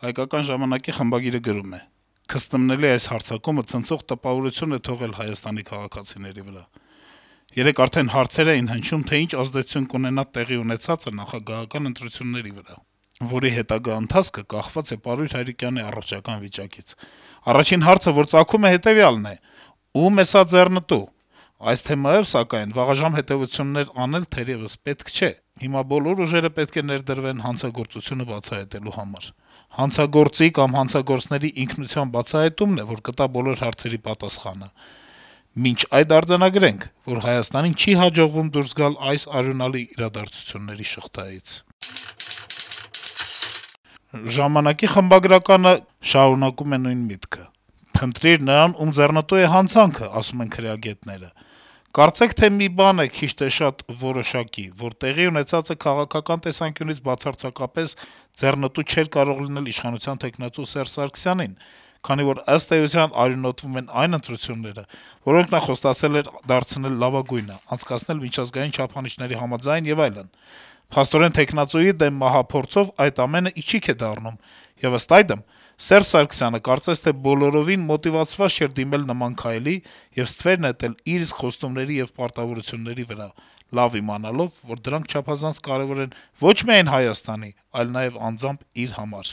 Հայկական ժամանակի խմբագիրը գրում է. - «Քստմնելի այս հարձակումը ցնցող տպավորություն է թողել Հայաստանի քաղաքացիների վրա: Երեկ արդեն հարցեր էին հնչում, թե ինչ ազդեցություն կունենա տեղի ունեցածը նախագահական ընտրությունների վրա, որի հետագա ընթացքը կախված է Պարույր Հայրիկյանի առողջական վիճակից: Առաջին հարցը, որ ծագում է, հետեւյալն է. ո՞ւմ է սա ձեռնտու: Այս թեմայով, սակայն, վաղաժամ հետեւություններ անել թերեւս պետք չէ: Հիմա բոլոր ուժերը պետք է ներդրվեն հանցագործությունը բացահայտելու համար: Հանցագործի կամ հանցագործների ինքնության բացահայտումն է, որ կտա բոլոր հարցերի պատասխանը: Մինչ այդ արձանագրենք, որ Հայաստանին չի հաջողվում դուրս գալ այս արյունալի իրադարձությունների շղթայից»: «Ժամանակ»-ի խմբագրականը շարունակում է նույն միտքը. - «Փնտրիր նրան, ում ձեռնտու է հանցանքը, ասում են քրեագետները: Կարծեք թե մի բան է քիչ թե շատ որոշակի, որ տեղի ունեցածը քաղաքական տեսանկյունից բացարձակապես ձեռնտու չէր կարող լինել իշխանության թեկնածու Սերժ Սարգսյանին, քանի որ, ըստ էության, արյունոտվում են այն ընտրությունները, որոնք նա խոստացել էր դարձնել լավագույնը, անցկացնել միջազգային չափանիշների համաձայն եւ այլն: Փաստորեն, թեկնածուի դեմ մահափորձով այդ ամենը իչիք է դառնում, եւ ըստ այդմ, Սերժ Սարգսյանը կարծես թե բոլորովին մոտիվացված չէր դիմել նման քայլի եւ ստվեր նետել իր իսկ խոստումների եւ պարտավորությունների վրա, լավ իմանալով, որ դրանք չափազանց կարեւոր են ոչ միայն Հայաստանի, այլ նաեւ անձամբ իր համար»: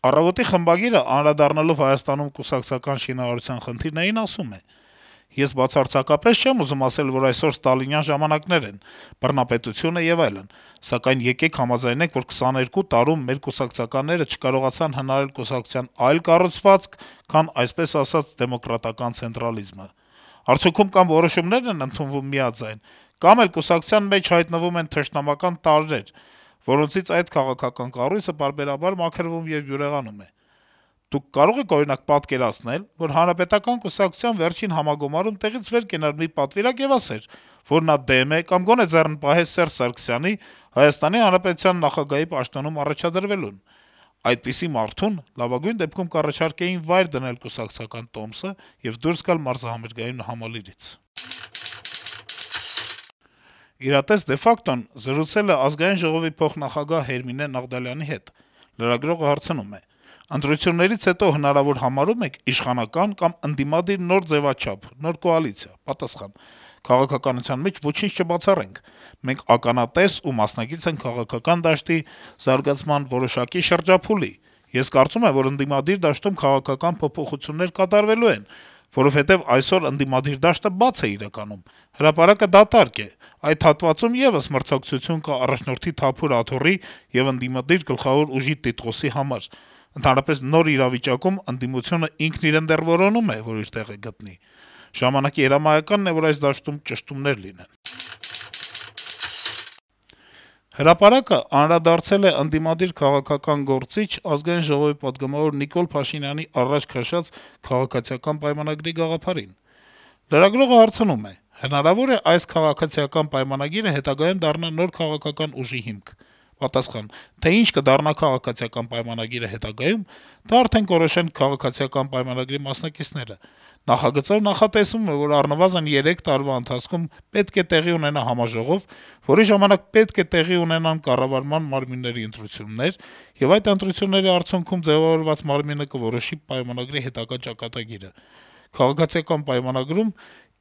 «Առավոտ»-ի խմբագիրը, անդրադառնալով Հայաստանում կուսակցական շինարարության խնդիրներին, ասում է. - «Ես բացարձակապես չեմ ուզում ասել, որ այսօր ստալինյան ժամանակներ են, բռնապետություն է եւ այլն, սակայն եկեք համաձայնենք, որ 22 տարում մեր կուսակցականները չկարողացան հնարել կուսակցության այլ կառուցվածք, քան, այսպես ասած, դեմոկրատական ցենտրալիզմը: Արդյունքում կամ որոշումներ են ընդունվում միաձայն, կամ էլ կուսակցության մեջ հայտնվում են թշնամական տարրեր, որոնցից այդ քաղաքական կառույցը պարբերաբար մաքրվում եւ բյուրեղանում է: Դուք կարո՞ղ եք, օրինակ, պատկերացնել, որ Հանրապետական կուսակցության վերջին համագումարում տեղից վեր կենար մի պատվիրակ եւ ասեր, որ նա դեմ է կամ գոնե ձեռնպահե Սերժ Սարգսյանի Հայաստանի Հանրապետության նախագահի պաշտոնում առաջադրվելուն: Այդպիսի մարդուն լավագույն դեպքում կառաջարկեին վայր դնել կուսակցական տոմսը եւ դուրս գալ մարզահամերգային համալիրից»: «Իրատես de facto»-ն զրուցել է Ազգային ժողովի փոխնախագահ Հերմինե Նաղդալյանի հետ: Լրագրողը հարցնում է. - «Ընտրություններից հետո հնարավոր համարո՞ւմ եք իշխանական կամ ընդդիմադիր նոր ձեւաչափ, նոր կոալիցիա»: Պատասխան. - «Քաղաքականության մեջ ոչինչ չբացառենք: Մենք ականատես ու մասնակից ենք քաղաքական դաշտի զարգացման որոշակի շրջափուլի: Ես կարծում եմ, որ ընդդիմադիր դաշտում քաղաքական փոփոխություններ կատարվելու են, որովհետեւ այսօր ընդդիմադիր դաշտը բաց է իրականում: Հրապարակը դատարկ է: Այդ հատվածում եւս մրցակցություն կա առաջնորդի Թափուր Աթոռի եւ ընդդիմադիր գլխավոր ուժի Տիտղոսի համար: Ընդհանրապես, նոր իրավիճակում ընդդիմությունը ինքն իրեն դեռ որոնում է, որ իր տեղը գտնի: Ժամանակի հրամայականն է, որ այս դաշտում ճշտումներ լինեն»: «Հրապարակ»-ը անդրադարձել է ընդդիմադիր քաղաքական գործիչ, Ազգային ժողովի պատգամավոր Նիկոլ Փաշինյանի առաջ քաշած քաղաքացիական պայմանագրի գաղափարին: Լրագրողը հարցնում է. - «Հնարավո՞ր է այս քաղաքացիական պայմանագիրը հետագայում դառնա նոր քաղաքական ուժի հիմք»: Պատասխան. - «Թե ինչ կդառնա քաղաքացիական պայմանագիրը հետագայում, դա արդեն կորոշեն քաղաքացիական պայմանագրի մասնակիցները: Նախագծով նախատեսվում է, որ առնվազն 3 տարվա ընթացքում պետք է տեղի ունենա համաժողով, որի ժամանակ պետք է տեղի ունենան կառավարման մարմինների ընտրություններ, եւ այդ ընտրությունների արդյունքում ձեւավորված մարմինը կորոշի պայմանագրի հետագա ճակատագիրը: Քաղաքացիական պայմանագրում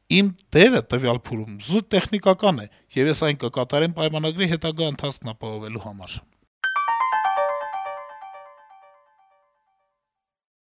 իմ դերը տվյալ փուլում զուտ տեխնիկական է, եւ ես այն կկատարեմ պայմանագրի հետագա ընթացքն ապահովելու համար»: